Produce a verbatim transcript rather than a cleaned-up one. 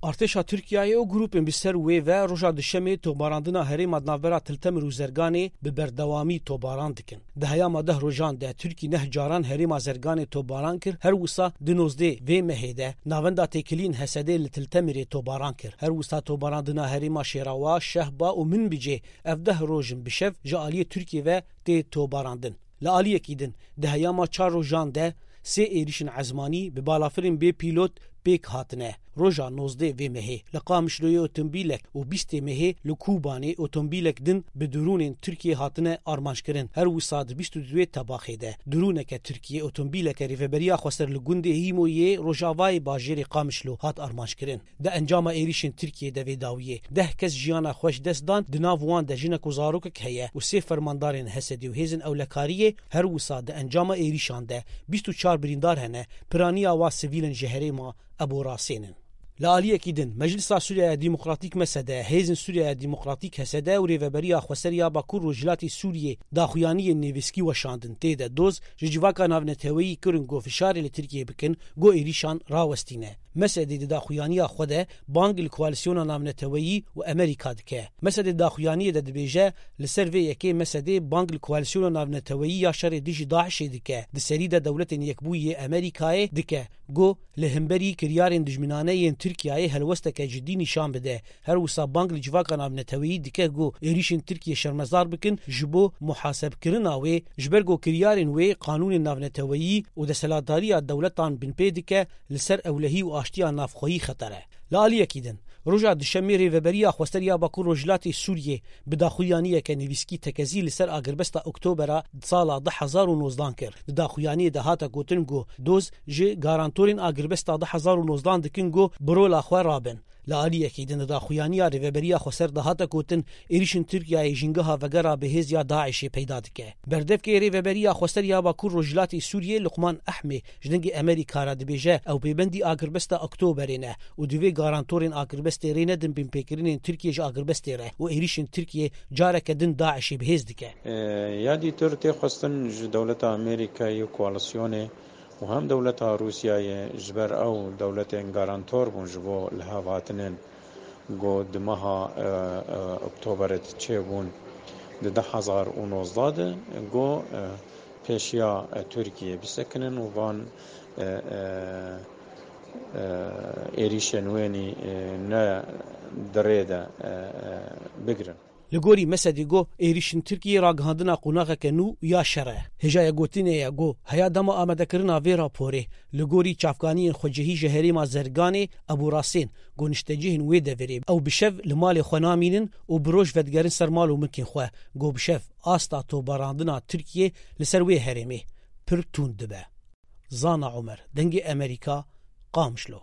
Artêşa Tirkiyeyê û grûpên bi ser wê ve roja Duşemê tobarandina herêma di navbera Til Temir û Zerganê bi berdewamî tobaran dikin. Di heyama deh rojan de Tirkî neh caran herêma Zerganê tobaran kir, her wisa di nozdê vê mehê de navenda têkiliyên Hesedê li Til Temirê tobaran kir. Her wisa tobarandina herêma Şêrawa, Şehba û Minbicê ev deh roj in bi şev ji aliyê Tirkiyê ve tê tobarandin. Li aliyekî din, di heyama çar rojan de sê êrîşên ezmanî bi balafirên bê pîlot pêk hatine. Roja nozdeh vê mehê li Qamişloyê otomobîlek û bîstê mehê li Kûbanê otomobîlek din bi dirûnên Tirkiyê hatine armanckirin. Her wisa di bîst û duwê tebaxê de dirûneke Tirkiyê otomobîleke Rêveberiya Xweser li gundê Hîmoyê rojavayê bajêrê Qamişlo hat armanckirin. Di encama êrîşên Tirkiyê de vê dawiyê deh kes jiyana xwe ji dest dan, di nav wan de jinek û zarokek heye û sê fermandarên Hesedê û hêzên ewlekariyê. Her wisa di encama êrîşan de bîst û çar birîndar hene, piraniya wa sivîl in ji herêma Eborasên in. Li aliyekî din, Meclisa Sûriyeya Demokratîk, M S D, Hêzên Sûriyeya Demokratîk, H S D, û Rêveberiya Xweser ya Bakur Rojhilatê Sûriyê daxuyaniyên nivîskî weşandin. Tê de doz ji civaka navneteweyî kirin ku fişarê li Tirkiyê bikin, ku êrîşan rawestîne. M S D di daxuyaniya xwe de bang li koalîsyona navneteweyî û Amerîka dike. M S D di daxuyaniyê de dibêje, li ser vê yekê M S D bang li koalîsyona navneteweyî ya şerê dijî DAIŞê dike. Di serî de Dewletên Yekbûyî yê Amerîkayê dike, ku li hemberî kiryarên dijminane yên Tirkiyeyê helwesteke cidî nîşan bide. Her wisa bang li civaka navneteweyî dike ku êrîşên Tirkiyê şermezar bikin, ji bo muhasebkirina wê, ji ber ku kiryarên wê qanûnên navneteweyî û desthilatdariya dewletan binpê dike, li ser ewlehî û aştiya navxweyî xeter e. Li aliyekî din, roja Duşemê Rêveberiya Xweser ya Bakur Rojhilatê Sûriyê bi daxuyaniyeke nivîskî tekezî li ser agirbesta Oktobera sala du hezar û nozdan kir. Di daxuyaniyê de hate gotin ku doz ji garantorên agirbesta du hezar û nozdan dikin ku bi rola xwe rabin. Li aliyekî din di daxuyaniya Rêveberiya Xweser de hate gotin, êrîşên Tirkiyeyê jîngeha vegera bi hêz ya DAIŞê peyda dike. Berdevkê Rêveberiya Xweser ya Bakur Rojhilatê Sûriyê Luqman Ehmê ji Dengê Amerîka re dibêje, ew pêbendî agirbesta Oktoberê ne û divê garantorên agirbestê rê nedin binpêkirinên Tirkiyê ji agirbestê re û êrîşên Tirkiyê careke din DAIŞê bi hêz dike. E, ya dîtir tê xwestin ji dewleta Amerîkayê û koalîsyonê û hem dewleta Rûsyayê ji ber ew dewletên garantor bûn ji bo lihavhatinên ku di meha, e, e, Oktoberê de çêbûn di du hezar û nozdeh de, ku, e, pêşiya, e, Tirkiyê bisekinin û van, e, e, e, êrîşên wênî, e, ne di rê de, e, e, bigirin. Li gorî Mesedê got, êrîşên Tirkiyê ragihandina qonaxeke nû ya şer e. Hêjaya gotinê ye got, heya dema amadekirina vê raporê, li gorî çavkaniyên xwecihî ji herêma Zerganê, Ebu Rasên, got niştecihên wê deverê ew bi şev li malê xwe namînin û bi roj vedigerin ser mal û milkên xwe. Got bi şev asta tobarandina Tirkiyê li ser wê herêmê pir tund dibe. Zana Omer, Dengê Amerîka, Qamişlo.